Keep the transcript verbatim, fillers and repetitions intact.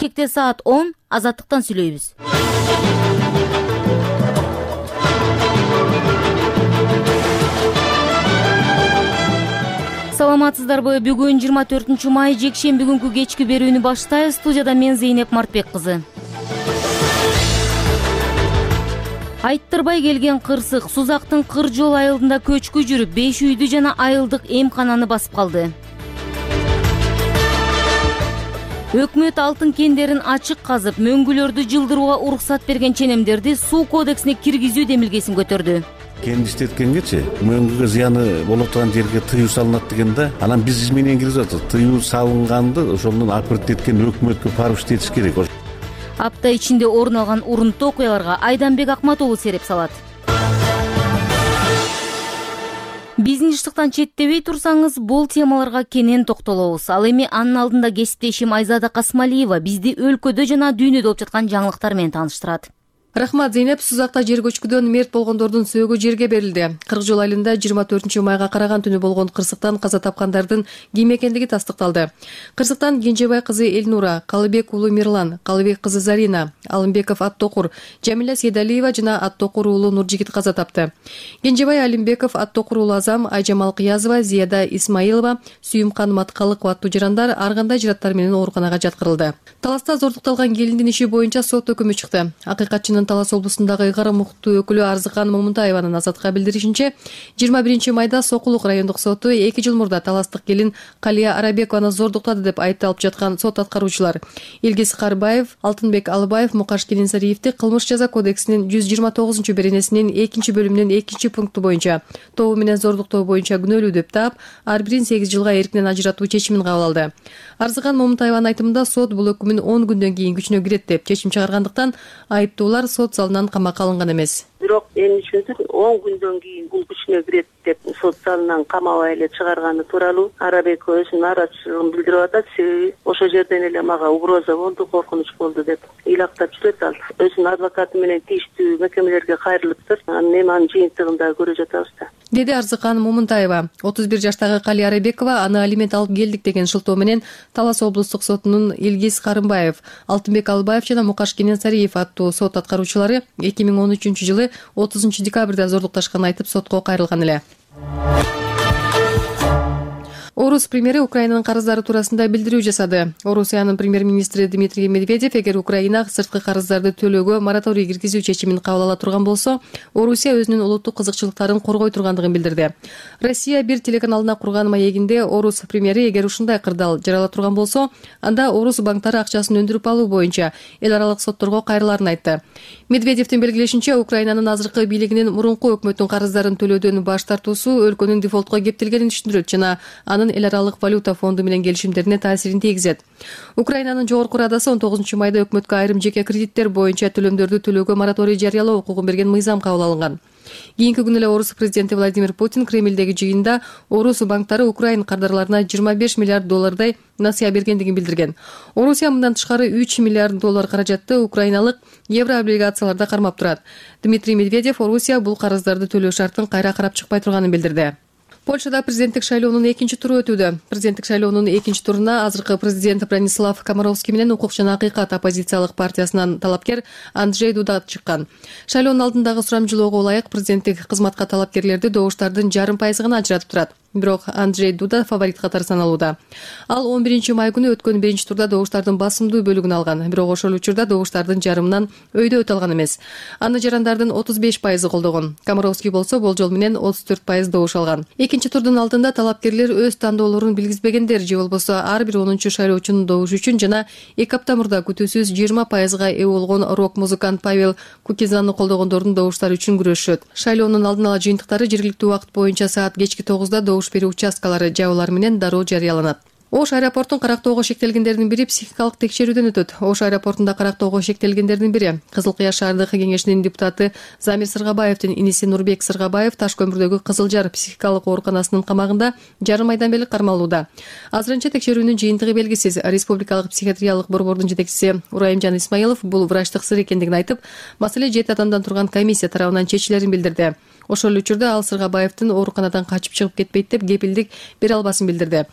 келечекте саат он Азаттыктан сүйлөйбүз. Саламатсыздарбы? Бүгүн жыйырма төртүнчү май жекшемби күнкү кечки берүүнү баштайбыз. Студияда мен Зейнеп Мартбек кызы. Айттырбай келген кырсык Сузактын Кыр жол айылында көчкү жүрүп, беш үйдү жана айылдык эмкананы басып калды. Өкмөт алтын кендерин ачык казып, мөңгүлөрдү жылдырууга уруксат берген ченемдерди суу кодексине киргизүү демилгесин көтөрдү. Кен иштеткенгечи мөңгүгө зыяны боло турган жерге тыюу салынат дегенде, анан биз изменение киргизип атабыз. Тыюу салынганды ошондон апырт эткен өкмөткө барып иштетиш керек. Апта ичинде орун алган урунттуу окуяларга Айданбек Акмат уулу сереп салат. Бизнестиктан четтебей турсаңыз, бул темаларга кенен токтолобуз. Ал эми анын алдында кесиптешим Айзада Касмалиева бизди өлкөдө жана дүйнөдө болуп жаткан жаңылыктар менен тааныштырат. Рахмат, Зейнеп. Сузакта жер көчкүдөн мерт болгондордун сөөгү жерге берилди. Кырк жол айылында жыйырма төртүнчү майга караган түнү болгон кырсыктан каза тапкандардын ким экендиги тастыкталды. Кырсыктан Кенжебай кызы Элнура, Калыбек уулу Мирлан, Калыбек кызы Зарина, Алымбеков Аттокур, Жамиля Сейдалиева жана Аттокур уулу Нуржигит каза тапты. Кенжебай Алимбеков, Аттокур уулу Азам, Айжамал Кыязова, Зияда Исмаилова, Сүйүмкан Маткалыкова аттуу жарандар ар кандай жыраттар менен ооруканага жаткырылды. Таласта зордукталган келиндин иши боюнча сот өкүмү чыкты. Акыйкатчынын Талас облусундагы ыйгарым укуктуу өкүлү Арзыкан Момунтаеванын Азатка билдиришинче, жыйырма биринчи майда Сокулук райондук соту эки жыл мурда таластык келин Калия Арабекованы зордуктады деп айыпталып жаткан сот аткаруучулар Илгиз Карбаев, Алтынбек Алыбаев, Мукаш Келинсариевди кылмыш жаза кодексинин жүз жыйырма тогузунчу беренесинин экинчи бөлүмүнүн экинчи пункту боюнча тобу менен зордуктоо боюнча күнөөлүү деп таап, ар бирин сегиз жылга эркинен ажыратуу чечимин кабыл алды. Арзыкан Момунтаеванын айтымында сот бул өкүмүн он күндөн кийин күчүнө кирет деп чечим чыгаргандыктан айыптуулар сот залынан камакка алынган эмес. Бирок мен үчүн он күндөн кийин бул күчүнө кирет деп сот залынан камабай эле чыгарганы тууралуу Арабекова өзүнүн нааразычылыгын билдирип атат. Себеби ошол жерден эле мага угроза болду, коркунуч болду деп ыйлактап жүрөт ал. Өзүнүн адвокаты менен тийиштүү мекемелерге кайрылыптыр. Анан эми анын жыйынтыгын да көрө жатабыз да. Деди Арзыкан Момунтаева. отуз бир жаштагы Калия Арабекова аны алимент алып келдик деген шылтоо менен Талас облустук сотунун Илгиз Карымбаев, Алтынбек Алыбаев жана Мукаш Келинсариев аттуу сот аткаруучулары эки миң он үчүнчү жылы отузунчу декабрда зордукташканын айтып сотко кайрылган эле. Орус премьери Украинанын карыздары туурасында билдирүү жасады. Орусиянын премьер-министри Дмитрий Медведев эгер Украина сырткы карыздарды төлөөгө мораторий киргизүү чечимин кабыл ала турган болсо, Орусия өзүнүн улуттук кызыкчылыктарын коргой тургандыгын билдирди. Россия бир телеканалына курган маегинде Орус премьери эгер ушундай кырдаал жарала турган болсо, анда Орус банктары акчасын өндүрүп алуу боюнча эл аралык сотторго кайрыларын айтты. Медведевдин белгилешинче, Украинанын азыркы бийлигинин мурунку өкмөттүн карыздарын төлөөдөн баш тартуусу өлкөнүн дефолтко кептелгенин түшүндүрөт жана анын эл аралык валюта фонду менен келишимдерине таасирин тийгизет. Украинанын жогорку радасы он тогузунчу майда өкмөткө айрым жеке кредиттер боюнча төлөмдөрдү төлөөгө мораторий жарыялоо укугун берген мыйзам кабыл алынган. Кийинки күнү эле Орус президенти Владимир Путин Кремлдеги жыйында Орус банктары Украин кардарларына жыйырма беш миллиард доллардай насыя бергендигин билдирген. Орусия мындан тышкары үч миллиард доллар каражатты украиналык еврооблигацияларда кармап турат. Дмитрий Медведев Орусия бул карыздарды төлөө шартын кайра карап чыкпай турганын билдирди. Польшада президенттик шайлоонун экинчи туру өтүүдө. Президенттик шайлоонун экинчи туруна азыркы президент Бранислав Комаровский менен Укук жана Акыйкат оппозициялык партиясынан талапкер Анджей Дуда чыккан. Шайлоонун алдындагы сурамжылоого ылайык президенттик кызматка талапкерлерди добуштардын жарым пайызы гана ажыратып турат. Бирок Анджей Дуда фаворит катары саналууда. Ал он биринчи май күнү өткөн биринчи турда добуштардын басымдуу бөлүгүн алган. Бирок ошол учурда добуштардын жарымынан өйдө өтө алган эмес. Аны жарандардын отуз беш пайызы колдогон. Комаровский болсо болжол менен отуз төрт пайыз добуш алган. Экинчи турдун алдында талапкерлер өз тандоолорун билгизбегендер же болбосо ар бир онунчу шайлоочунун добушу үчүн жана эки апта мурда күтүүсүз жыйырма пайызга ээ болгон рок-музыкант Павел Кукизанны колдогондордун добуштары үчүн күрөшөт. Шайлоонун алдын ала жыйынтыктары жергиликтүү убакыт боюнча саат кечки тогузда добуш берүү участкалары жабуулар менен дароо жарыяланат. Ош аэропортун карактоого шектелгендердин бири психикалык текшерүүдөн өтөт. Ош аэропортунда карактоого шектелгендердин бири Кызыл Кыяр шаардык кеңешинин депутаты Замир Сыргабаевдин иниси Нурбек Сыргабаев Таш көмүрдөгү Кызыл Жар психикалык ооруканасынын камагында жарым айдан бери кармалууда. Азырынча текшерүүнүн жыйынтыгы белгисиз. Республикалык психиатриялык борбордун жетекчиси Урайымжан Исмаилов бул врачтык сыр экендигин айтып, маселе жети адамдан турган комиссия тарабынан чечилерин билдирди. Ошол учурда ал Сыргабаевдин ооруканадан качып чыгып кетпейт деп кепилдик бере албасын билдирди.